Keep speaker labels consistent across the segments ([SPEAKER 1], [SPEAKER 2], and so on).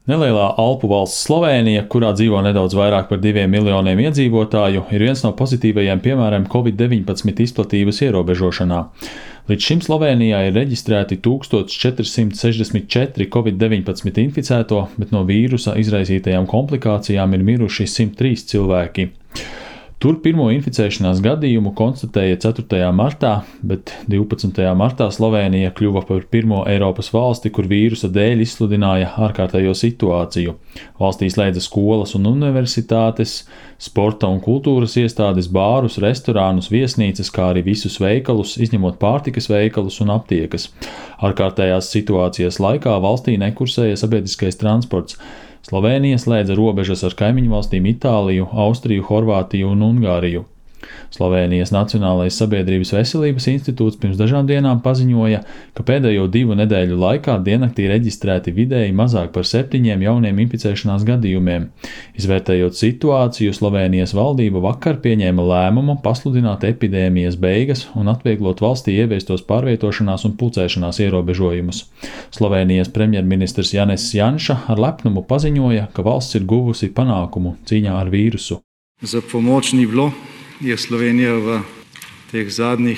[SPEAKER 1] Nelielā Alpu valsts Slovēnija, kurā dzīvo nedaudz vairāk par 2 miljoniem iedzīvotāju, ir viens no pozitīvajiem piemēriem Covid-19 izplatības ierobežošanā. Līdz šim Slovēnijā ir reģistrēti 1464 Covid-19 inficēto, bet no vīrusa izraisītajām komplikācijām ir miruši 103 cilvēki. Tur pirmo inficēšanās gadījumu konstatēja 4. martā, bet 12. martā Slovēnija kļuva par pirmo Eiropas valsti, kur vīrusa dēļ izsludināja ārkārtējo situāciju. Valstī slēdza skolas un universitātes, sporta un kultūras iestādes, bārus, restorānus, viesnīcas, kā arī visus veikalus, izņemot pārtikas veikalus un aptiekas. Ārkārtējās situācijas laikā valstī nekursēja sabiedriskais transports. Slovēnija slēdza robežas ar kaimiņu valstīm Itāliju, Austriju, Horvātiju un Ungāriju. Slovēnijas Nacionālais sabiedrības veselības institūts pirms dažām dienām paziņoja, ka pēdējo 2 nedēļu laikā diennaktī reģistrēti vidēji mazāk par 7 jauniem inficēšanās gadījumiem. Izvērtējot situāciju, Slovēnijas valdība vakar pieņēma lēmumu pasludināt epidēmijas beigas un atvieglot valstī ieviestos pārvietošanās un pulcēšanās ierobežojumus. Slovēnijas premjerministrs Janezs Janša ar lepnumu paziņoja, ka valsts ir guvusi panākumu cīņā ar vīrusu.
[SPEAKER 2] Za pomoč ni bilo. Je Slovenija v teh zadnjih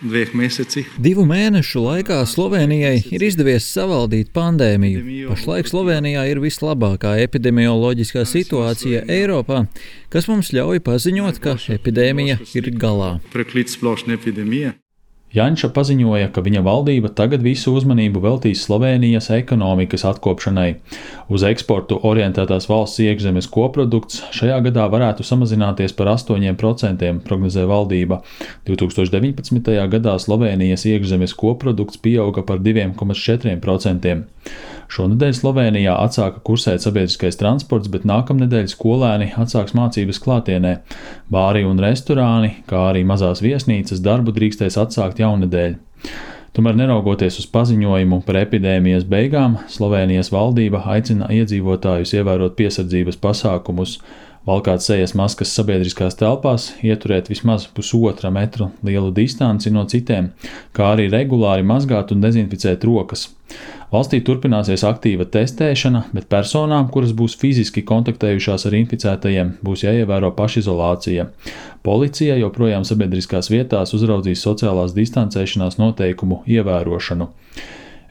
[SPEAKER 2] 2 mesecih.
[SPEAKER 3] 2 mēnešu laikā Slovenijai ir izdevies savaldīt pandēmiju. Pašlaik Slovenijā ir vislabākā epidemioloģiskā situācija Eiropā, kas mums ļauj paziņot, ka epidēmija ir galā.
[SPEAKER 2] Preklic splošne epidemije.
[SPEAKER 1] Janša paziņoja, ka viņa valdība tagad visu uzmanību veltīs Slovēnijas ekonomikas atkopšanai. Uz eksportu orientētās valsts iekšzemes koprodukts šajā gadā varētu samazināties par 8%, prognozē valdība. 2019. gadā Slovēnijas iekšzemes koprodukts pieauga par 2,4%. Šonedēļ Slovēnijā atsāka kursēt sabiedriskais transports, bet nākamnedēļ skolēni atsāks mācības klātienē. Bāri un restorāni, kā arī mazās viesnīcas darbu drīkstēs atsākt jaunedēļ. Tomēr neraugoties uz paziņojumu par epidēmijas beigām, Slovēnijas valdība aicina iedzīvotājus ievērot piesardzības pasākumus, valkāt sejas maskas sabiedriskās telpās, ieturēt vismaz 1,5 metru lielu distanci no citiem, kā arī regulāri mazgāt un dezinficēt rokas. Valstī turpināsies aktīva testēšana, bet personām, kuras būs fiziski kontaktējušās ar inficētajiem, būs jāievēro pašizolācija. Policija joprojām sabiedriskās vietās uzraudzīs sociālās distancēšanās noteikumu ievērošanu.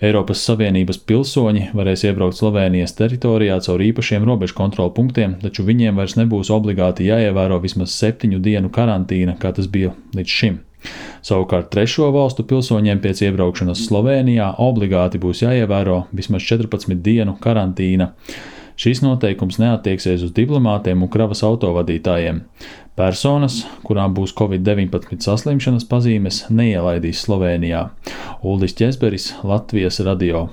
[SPEAKER 1] Eiropas Savienības pilsoņi varēs iebraukt Slovēnijas teritorijā caur īpašiem robežu kontrolu punktiem, taču viņiem vairs nebūs obligāti jāievēro vismaz 7 dienu karantīna, kā tas bija līdz šim. Savukārt 3. valstu pilsoņiem pēc iebraukšanas Slovēnijā obligāti būs jāievēro vismaz 14 dienu karantīna. Šīs noteikums neattieksies uz diplomātiem un kravas autovadītājiem. Personas, kurām būs Covid-19 saslimšanas pazīmes, neielaidīs Slovēnijā. Uldis Ķezberis, Latvijas radio.